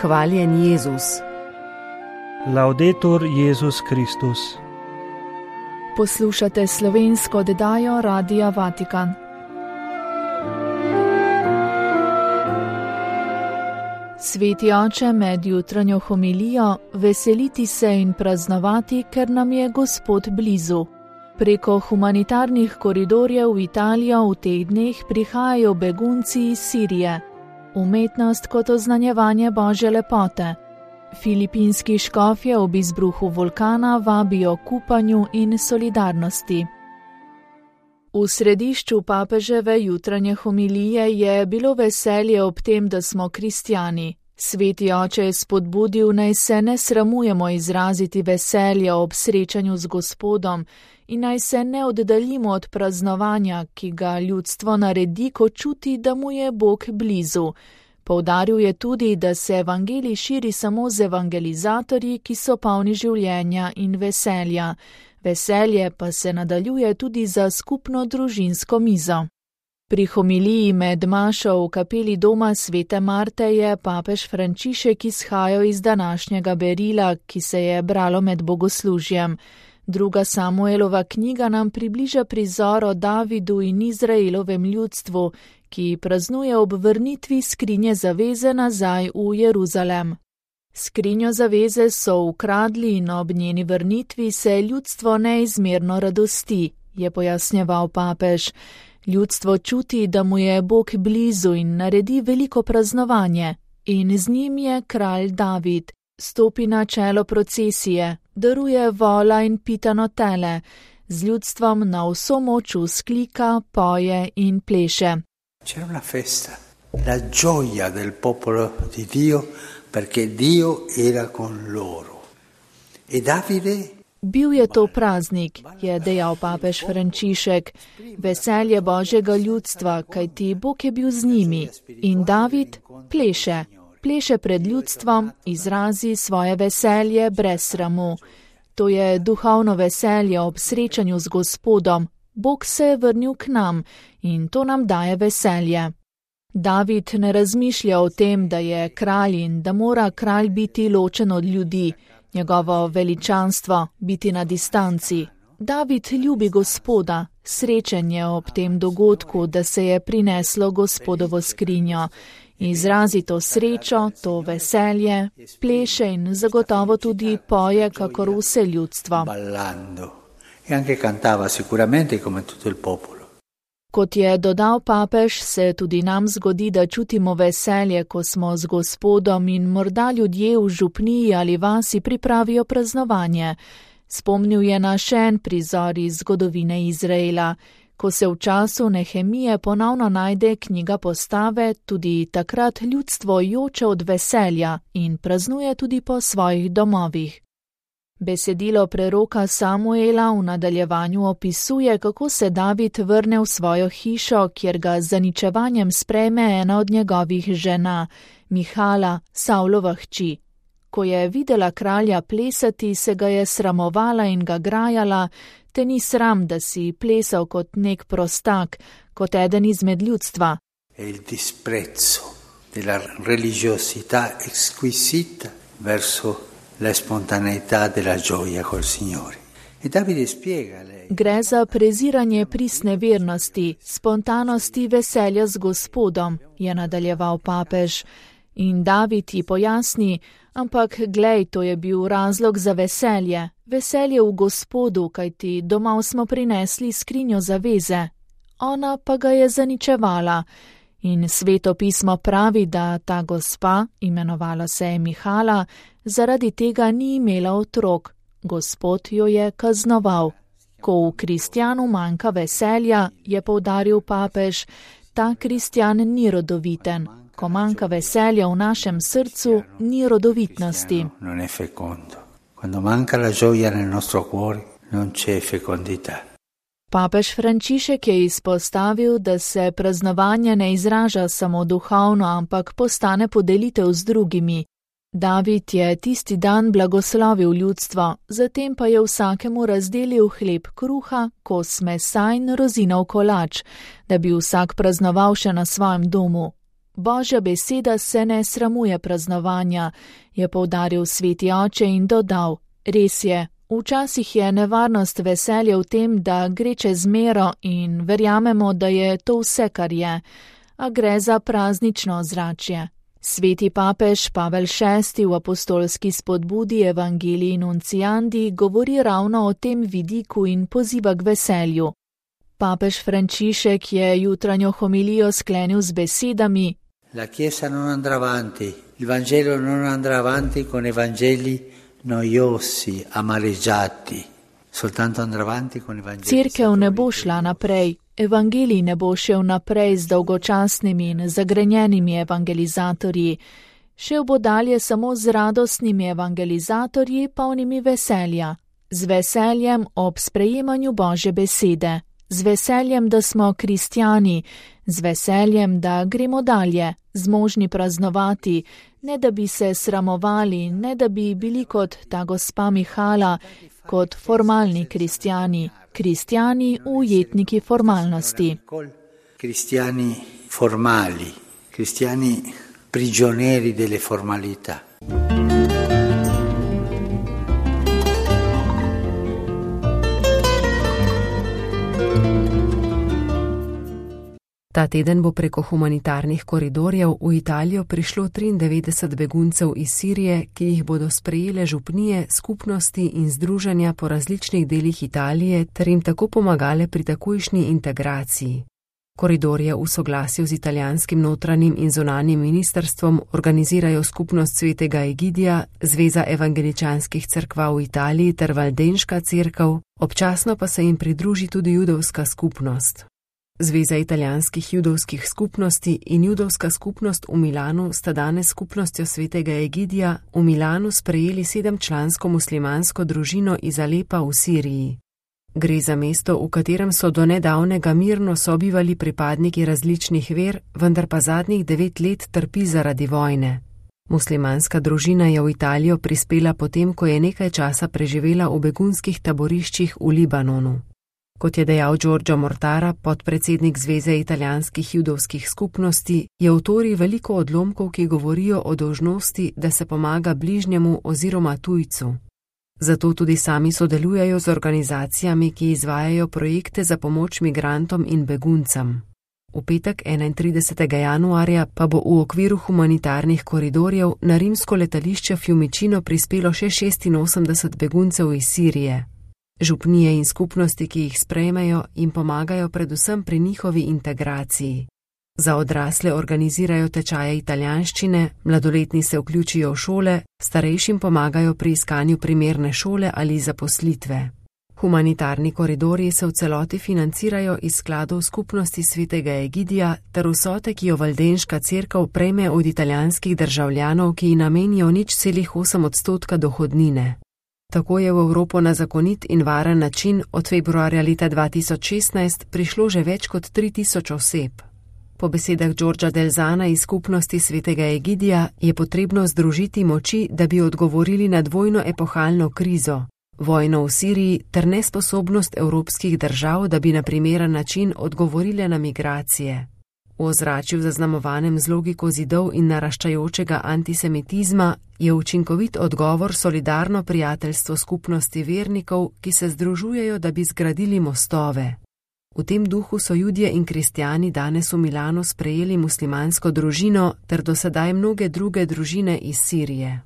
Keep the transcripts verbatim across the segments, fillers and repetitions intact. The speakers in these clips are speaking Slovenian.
Hvaljen Jezus. Laudetur Jezus Kristus. Poslušate slovensko oddajo Radia Vatikan. Sveti oče, med jutranjo homilijo veseliti se in praznovati, ker nam je Gospod blizu. Preko humanitarnih koridorjev v Italijo v teh dneh prihajajo begunci iz Sirije. Umetnost kot oznanjevanje Božje lepote. Filipinski škofje ob izbruhu vulkana vabijo k upanju in solidarnosti. V središču papeževe jutranje homilije je bilo veselje ob tem, da smo kristjani. Sveti oče je spodbudil, naj se ne sramujemo izraziti veselje ob srečanju z Gospodom in naj se ne oddaljimo od praznovanja, ki ga ljudstvo naredi, ko čuti, da mu je Bog blizu. Poudaril je tudi, da se evangelij širi samo z evangelizatorji, ki so polni življenja in veselja. Veselje pa se nadaljuje tudi za skupno družinsko mizo. Pri homiliji med mašo v kapeli doma svete Marte je papež Frančišek izhajal iz današnjega berila, ki se je bralo med bogoslužjem. Druga Samuelova knjiga nam približa prizor o Davidu in Izraelovem ljudstvu, ki praznuje ob vrnitvi skrinje zaveze nazaj v Jeruzalem. Skrinjo zaveze so ukradli in ob njeni vrnitvi se ljudstvo neizmerno radosti, je pojasnjeval papež. Ljudstvo čuti, da mu je Bog blizu in naredi veliko praznovanje. In z njim je kralj David. Stopi na čelo procesije, daruje vola in pitano tele, z ljudstvom na vso moč vzklika, poje in pleše. C'era una festa, la gioia del popolo di Dio, perché Dio era con loro. E Davide... Bil je to praznik, je dejal papež Frančišek, veselje Božjega ljudstva, kajti Bog je bil z njimi. In David pleše, pleše pred ljudstvom, izrazi svoje veselje brez sramu. To je duhovno veselje ob srečanju z Gospodom. Bog se je vrnil k nam in to nam daje veselje. David ne razmišlja o tem, da je kralj in da mora kralj biti ločen od ljudi, njegovo veličanstvo biti na distanci. David ljubi Gospoda, srečen je ob tem dogodku, da se je prineslo Gospodovo skrinjo. Izrazi to srečo, to veselje, pleše in zagotovo tudi poje, kakor vse ljudstvo. E anche cantava sicuramente come tutto il popolo. Kot je dodal papež, se tudi nam zgodi, da čutimo veselje, ko smo z Gospodom in morda ljudje v župniji ali vasi pripravijo praznovanje. Spomnil je na še en prizor iz zgodovine Izraela. Ko se v času Nehemije ponovno najde knjiga Postave, tudi takrat ljudstvo joče od veselja in praznuje tudi po svojih domovih. Besedilo preroka Samuela v nadaljevanju opisuje, kako se David vrne v svojo hišo, kjer ga z zaničevanjem sprejme ena od njegovih žena, Mihala, Savlova hči. Ko je videla kralja plesati, se ga je sramovala in ga grajala, te ni sram, da si plesal kot nek prostak, kot eden izmed ljudstva. E il disprezzo della religiosità exquisita verso la spontaneità della gioia col Signore. E Davide spiega lei. Gre za preziranje pristne vernosti, spontanosti veselja z Gospodom, je nadaljeval papež. In David ji pojasni, ampak glej, to je bil razlog za veselje. Veselje v Gospodu, kajti domov smo prinesli skrinjo zaveze. Ona pa ga je zaničevala. In Sveto pismo pravi, da ta gospa, imenovala se je Mihala, zaradi tega ni imela otrok. Gospod jo je kaznoval. Ko v kristjanu manjka veselja, je poudaril papež, ta kristjan ni rodoviten. Ko manjka veselja v našem srcu, ni rodovitnosti. Non è fecondo. Quando manca la gioia nel nostro cuore, non c'è fecondità. Papež Frančišek je izpostavil, da se praznovanje ne izraža samo duhovno, ampak postane podelitev z drugimi. David je tisti dan blagoslovil ljudstvo, zatem pa je vsakemu razdelil hleb kruha, kos mesa in rozinov kolač, da bi vsak praznoval še na svojem domu. Božja beseda se ne sramuje praznovanja, je poudaril sveti oče in dodal: res je, včasih je nevarnost veselja v tem, da gre čez mero in verjamemo, da je to vse, kar je, a gre za praznično ozračje. Sveti papež Pavel šesti v apostolski spodbudi Evangelii Nunciandi govori ravno o tem vidiku in poziva k veselju. Papež Frančišek je jutranjo homilijo sklenil z besedami: La Chiesa non andrà avanti, il Vangelo non andrà avanti con evangeli noiosi, amareggiati, soltanto andrà avanti con evangeli. Cerkev ne bo šla naprej, evangelij ne bo šel naprej z dolgočasnimi in zagrenjenimi evangelizatorji. Šel bo dalje samo z radostnimi evangelizatorji, polnimi veselja, z veseljem ob sprejemanju Božje besede, z veseljem, da smo kristjani, z veseljem, da gremo dalje, zmožni praznovati, ne da bi se sramovali, ne da bi bili kot ta gospa Mihala, kot formalni kristjani, kristjani ujetniki formalnosti. Kristjani formali, kristjani prigionieri delle formalità. Ta teden bo preko humanitarnih koridorjev v Italijo prišlo triindevetdeset beguncev iz Sirije, ki jih bodo sprejele župnije, skupnosti in združenja po različnih delih Italije ter jim tako pomagale pri takojšnji integraciji. Koridorje v soglasju z italijanskim notranjim in zunanjim ministrstvom organizirajo skupnost svetega Egidija, Zveza evangeličanskih cerkva v Italiji ter Valdenška cerkev, občasno pa se jim pridruži tudi judovska skupnost. Zveza italijanskih judovskih skupnosti in judovska skupnost v Milanu sta danes skupnostjo svetega Egidija v Milanu sprejeli sedemčlansko muslimansko družino iz Alepa v Siriji. Gre za mesto, v katerem so do nedavnega mirno sobivali pripadniki različnih ver, vendar pa zadnjih devet let trpi zaradi vojne. Muslimanska družina je v Italijo prispela potem, ko je nekaj časa preživela v begunskih taboriščih v Libanonu. Kot je dejal Giorgio Mortara, podpredsednik Zveze italijanskih judovskih skupnosti, je v Tori veliko odlomkov, ki govorijo o dolžnosti, da se pomaga bližnjemu oziroma tujcu. Zato tudi sami sodelujejo z organizacijami, ki izvajajo projekte za pomoč migrantom in beguncem. V petek enaintridesetega januarja pa bo v okviru humanitarnih koridorjev na rimsko letališče Fiumicino prispelo še šestinosemdeset beguncev iz Sirije. Župnije in skupnosti, ki jih sprejmejo, jim pomagajo predvsem pri njihovi integraciji. Za odrasle organizirajo tečaje italijanščine, mladoletni se vključijo v šole, starejšim pomagajo pri iskanju primerne šole ali zaposlitve. Humanitarni koridorji se v celoti financirajo iz skladov skupnosti svetega Egidija ter vsote, ki jo Valdenška cerkev prejme od italijanskih državljanov, ki ji namenijo nič celih osem odstotka dohodnine. Tako je v Evropo na zakonit in varen način od februarja leta dva tisoč šestnajst prišlo že več kot tri tisoč oseb. Po besedah Giorgia Delzana iz skupnosti svetega Egidija je potrebno združiti moči, da bi odgovorili na dvojno epohalno krizo, vojno v Siriji ter nesposobnost evropskih držav, da bi na primeren način odgovorile na migracije. V ozračju zaznamovanem z logiko zidov in naraščajočega antisemitizma je učinkovit odgovor solidarno prijateljstvo skupnosti vernikov, ki se združujejo, da bi zgradili mostove. V tem duhu so Judje in kristjani danes v Milanu sprejeli muslimansko družino ter do sedaj mnoge druge družine iz Sirije.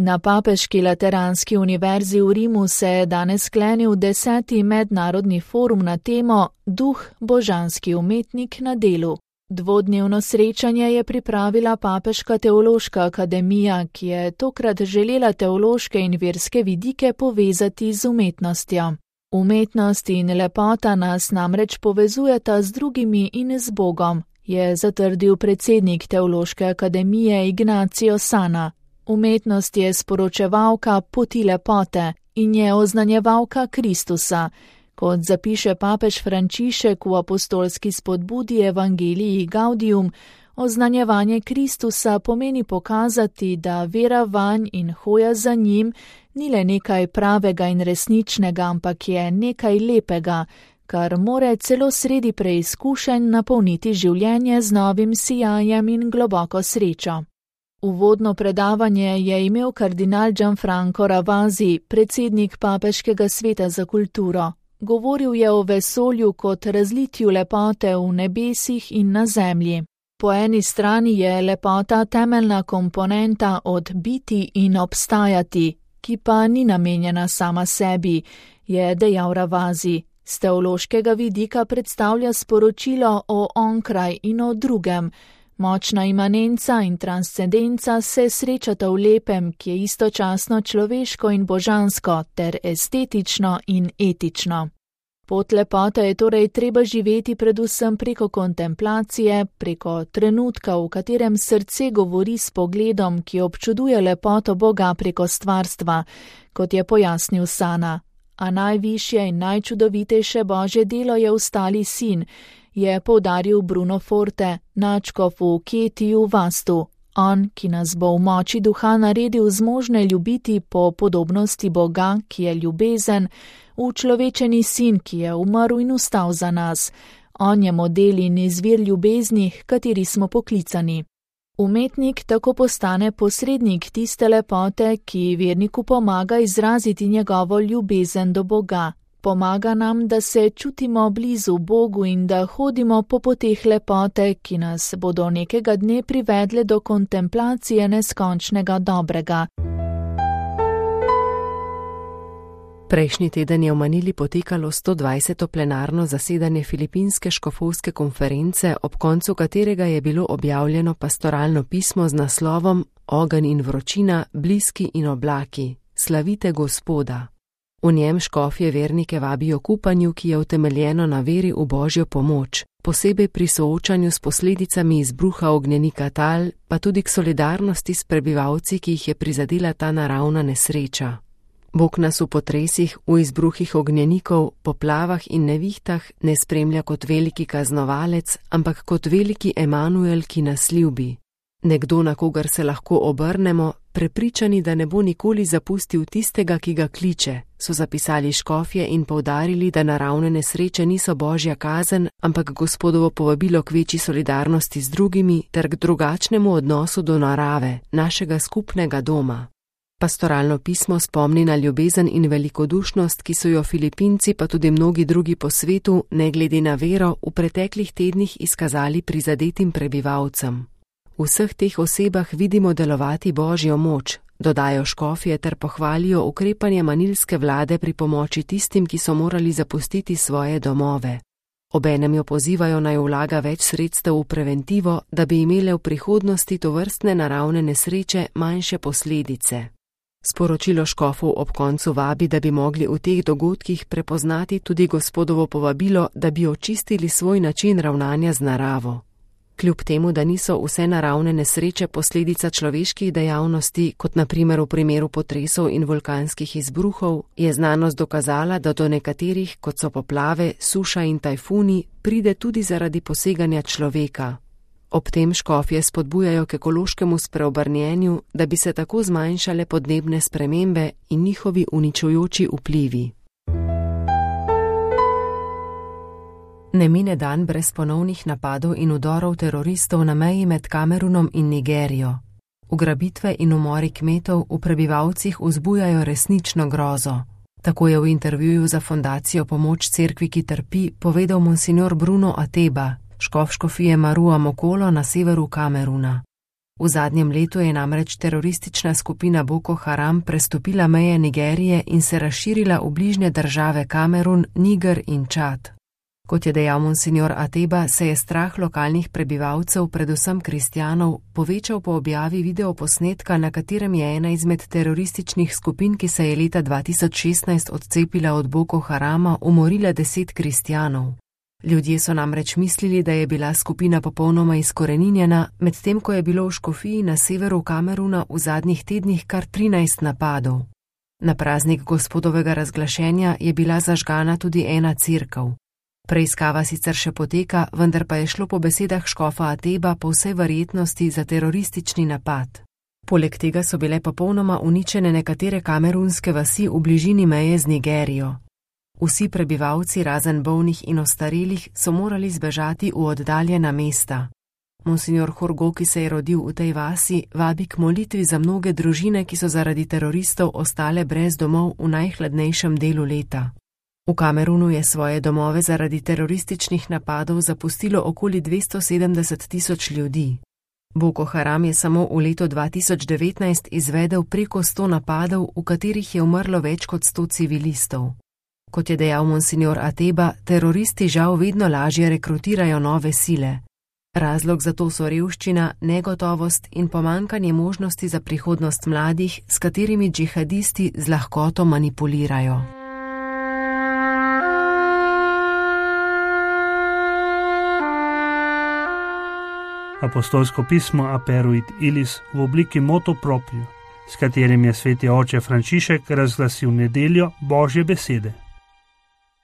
Na Papeški lateranski univerzi v Rimu se je danes sklenil deseti mednarodni forum na temo Duh, božanski umetnik na delu. Dvodnevno srečanje je pripravila Papeška teološka akademija, ki je tokrat želela teološke in verske vidike povezati z umetnostjo. Umetnost in lepota nas namreč povezujeta z drugimi in z Bogom, je zatrdil predsednik teološke akademije Ignacio Sana. Umetnost je sporočevalka poti lepote in je oznanjevalka Kristusa. Kot zapiše papež Frančišek v apostolski spodbudi Evangelii Gaudium, oznanjevanje Kristusa pomeni pokazati, da vera vanj in hoja za njim ni le nekaj pravega in resničnega, ampak je nekaj lepega, kar more celo sredi preizkušenj napolniti življenje z novim sijajem in globoko srečo. Uvodno predavanje je imel kardinal Gianfranco Ravasi, predsednik Papeškega sveta za kulturo. Govoril je o vesolju kot razlitju lepote v nebesih in na zemlji. Po eni strani je lepota temeljna komponenta od biti in obstajati, ki pa ni namenjena sama sebi, je dejal Ravasi. Z teološkega vidika predstavlja sporočilo o onkraj in o drugem. Močna imanenca in transcendenca se srečata v lepem, ki je istočasno človeško in božansko, ter estetično in etično. Pot lepote je torej treba živeti predvsem preko kontemplacije, preko trenutka, v katerem srce govori s pogledom, ki občuduje lepoto Boga preko stvarstva, kot je pojasnil Sana. A najvišje in najčudovitejše Božje delo je ustali sin, je poudaril Bruno Forte, nadškof v Ketiju Vastu. On, ki nas bo v moči duha naredil zmožne ljubiti po podobnosti Boga, ki je ljubezen, učlovečeni sin, ki je umrl in vstal za nas. On je model in izvir ljubezni, h kateri smo poklicani. Umetnik tako postane posrednik tiste lepote, ki verniku pomaga izraziti njegovo ljubezen do Boga. Pomaga nam, da se čutimo blizu Bogu in da hodimo po poteh lepote, ki nas bodo nekega dne privedle do kontemplacije neskončnega dobrega. Prejšnji teden je v Manili potekalo sto dvajseto plenarno zasedanje Filipinske škofovske konference, ob koncu katerega je bilo objavljeno pastoralno pismo z naslovom Ogenj in vročina, bliski in oblaki, slavite Gospoda. V njem škofje vernike vabijo k upanju, ki je utemeljeno na veri v Božjo pomoč, posebej pri soočanju s posledicami izbruha ognjenika tal, pa tudi k solidarnosti s prebivalci, ki jih je prizadela ta naravna nesreča. Bog nas v potresih, v izbruhih ognjenikov, poplavah in nevihtah ne spremlja kot veliki kaznovalec, ampak kot veliki Emanuel, ki nas ljubi. Nekdo, na kogar se lahko obrnemo, prepričani, da ne bo nikoli zapustil tistega, ki ga kliče, so zapisali škofje in poudarili, da naravne nesreče niso Božja kazen, ampak Gospodovo povabilo k večji solidarnosti z drugimi ter k drugačnemu odnosu do narave, našega skupnega doma. Pastoralno pismo spomni na ljubezen in velikodušnost, ki so jo Filipinci pa tudi mnogi drugi po svetu, ne glede na vero, v preteklih tednih izkazali prizadetim prebivalcem. V vseh teh osebah vidimo delovati Božjo moč, dodajo škofje ter pohvalijo ukrepanje manilske vlade pri pomoči tistim, ki so morali zapustiti svoje domove. Obenem jo pozivajo naj vlaga več sredstev v preventivo, da bi imele v prihodnosti tovrstne naravne nesreče manjše posledice. Sporočilo škofov ob koncu vabi, da bi mogli v teh dogodkih prepoznati tudi Gospodovo povabilo, da bi očistili svoj način ravnanja z naravo. Kljub temu, da niso vse naravne nesreče posledica človeških dejavnosti, kot na primer v primeru potresov in vulkanskih izbruhov, je znanost dokazala, da do nekaterih, kot so poplave, suša in tajfuni, pride tudi zaradi poseganja človeka. Ob tem škofje spodbujajo k ekološkemu spreobrnjenju, da bi se tako zmanjšale podnebne spremembe in njihovi uničujoči vplivi. Ne mine dan brez ponovnih napadov in udorov teroristov na meji med Kamerunom in Nigerijo. Ugrabitve in umori kmetov v prebivalcih vzbujajo resnično grozo. Tako je v intervjuju za fundacijo Pomoč cerkvi, ki trpi, povedal monsignor Bruno Ateba, škof škofije Marua Mokolo na severu Kameruna. V zadnjem letu je namreč teroristična skupina Boko Haram prestopila meje Nigerije in se razširila v bližnje države Kamerun, Niger in Čad. Kot je dejal monsignor Ateba, se je strah lokalnih prebivalcev, predvsem kristjanov, povečal po objavi videoposnetka, na katerem je ena izmed terorističnih skupin, ki se je leta dva tisoč šestnajst odcepila od Boko Harama, umorila deset kristjanov. Ljudje so namreč mislili, da je bila skupina popolnoma izkoreninjena, medtem ko je bilo v škofiji na severu Kameruna v zadnjih tednih kar trinajst napadov. Na praznik Gospodovega razglašenja je bila zažgana tudi ena cerkev. Preiskava sicer še poteka, vendar pa je šlo po besedah škofa Ateba po vsej verjetnosti za teroristični napad. Poleg tega so bile popolnoma uničene nekatere kamerunske vasi v bližini meje z Nigerijo. Vsi prebivalci, razen bolnih in ostarelih, so morali zbežati v oddaljena mesta. Monsignor Horgo, ki se je rodil v tej vasi, vabi k molitvi za mnoge družine, ki so zaradi teroristov ostale brez domov v najhladnejšem delu leta. V Kamerunu je svoje domove zaradi terorističnih napadov zapustilo okoli dvesto sedemdeset tisoč ljudi. Boko Haram je samo v letu dva tisoč devetnajst izvedel preko sto napadov, v katerih je umrlo več kot sto civilistov. Kot je dejal monsignor Ateba, teroristi žal vedno lažje rekrutirajo nove sile. Razlog za to so revščina, negotovost in pomankanje možnosti za prihodnost mladih, s katerimi džihadisti z lahkoto manipulirajo. Apostolsko pismo Aperuit Ilis v obliki motu proprio, s katerim je sveti oče Frančišek razglasil nedeljo Božje besede.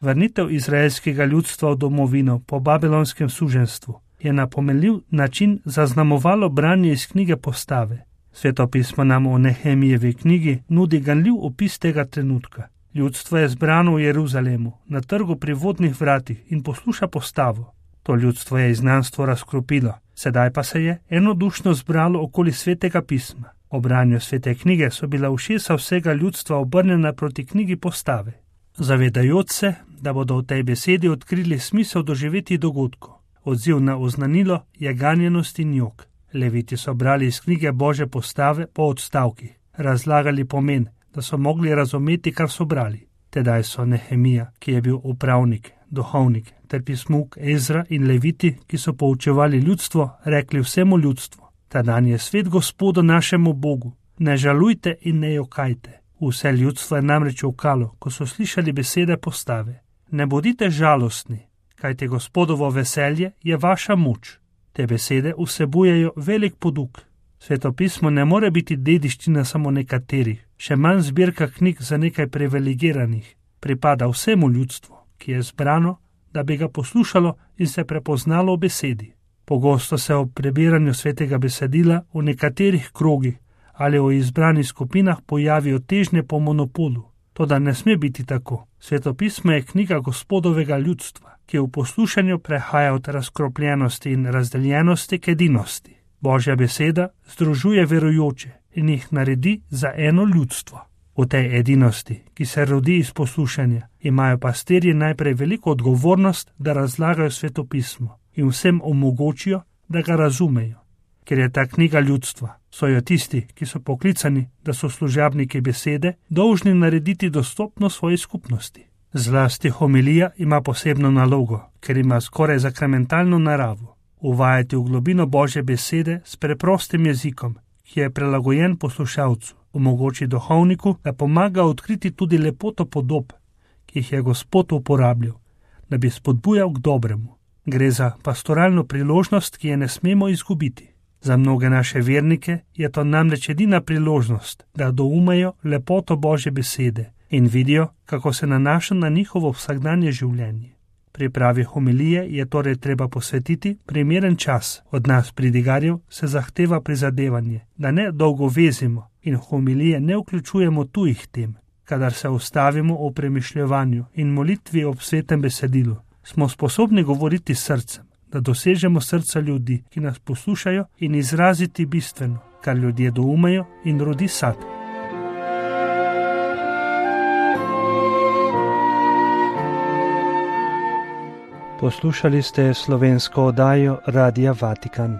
Vrnitev izraelskega ljudstva v domovino po babilonskem suženstvu je na pomenljiv način zaznamovalo branje iz knjige Postave. Sveto pismo nam o Nehemijevi knjigi nudi ganljiv opis tega trenutka. Ljudstvo je zbrano v Jeruzalemu, na trgu pri vodnih vratih in posluša postavo. To ljudstvo je izgnanstvo razkropilo, sedaj pa se je enodušno zbralo okoli svetega pisma. O branju svete knjige so bila ušesa vsega ljudstva obrnjena proti knjigi Postave, zavedajoč se, da bodo v tej besedi odkrili smisel doživeti dogodkov. Odziv na oznanilo je ganjenost in jok. Leviti so brali iz knjige Božje Postave po odstavkih, razlagali pomen, da so mogli razumeti, kar so brali. Tedaj so Nehemija, ki je bil upravnik, duhovnik, ter pismuk Ezra in Leviti, ki so poučevali ljudstvo, rekli vsemu ljudstvu: ta dan je svet Gospodu našemu Bogu, ne žalujte in ne jokajte. Vse ljudstvo je namreč jokalo, ko so slišali besede Postave. Ne bodite žalostni, kajte Gospodovo veselje je vaša moč. Te besede vsebujejo velik poduk. Sveto pismo ne more biti dediščina samo nekaterih, še manj zbirka knjig za nekaj privilegiranih. Pripada vsemu ljudstvu, ki je zbrano, da bi ga poslušalo in se prepoznalo v besedi. Pogosto se ob prebiranju svetega besedila v nekaterih krogih ali v izbranih skupinah pojavijo težnje po monopolu. Toda ne sme biti tako. Sveto pismo je knjiga Gospodovega ljudstva, ki v poslušanju prehaja od razkropljenosti in razdeljenosti k edinosti. Božja beseda združuje verujoče in jih naredi za eno ljudstvo. V tej edinosti, ki se rodi iz poslušanja, imajo pastirji najprej veliko odgovornost, da razlagajo sveto pismo in vsem omogočijo, da ga razumejo. Ker je ta knjiga ljudstva, so jo tisti, ki so poklicani, da so služabniki besede, dolžni narediti dostopno svoji skupnosti. Zlasti homilija ima posebno nalogo, ker ima skoraj sakramentalno naravo. Uvajati v globino Božje besede s preprostim jezikom, ki je prilagojen poslušalcu, omogoči duhovniku, da pomaga odkriti tudi lepoto podob, ki jih je Gospod uporabljal, da bi spodbujal k dobremu. Gre za pastoralno priložnost, ki je ne smemo izgubiti. Za mnoge naše vernike je to namreč edina priložnost, da doumejo lepoto Božje besede in vidijo, kako se nanaša na njihovo vsakdanje življenje. Pripravi homilije je torej treba posvetiti primeren čas. Od nas pridigarjev se zahteva prizadevanje, da ne dolgo vezimo in homilije ne vključujemo tujih tem. Kadar se ustavimo v premišljevanju in molitvi ob svetem besedilu, smo sposobni govoriti s srcem, da dosežemo srca ljudi, ki nas poslušajo, in izraziti bistveno, kar ljudje doumejo in rodi sad. Poslušali ste slovensko oddajo Radia Vatikan.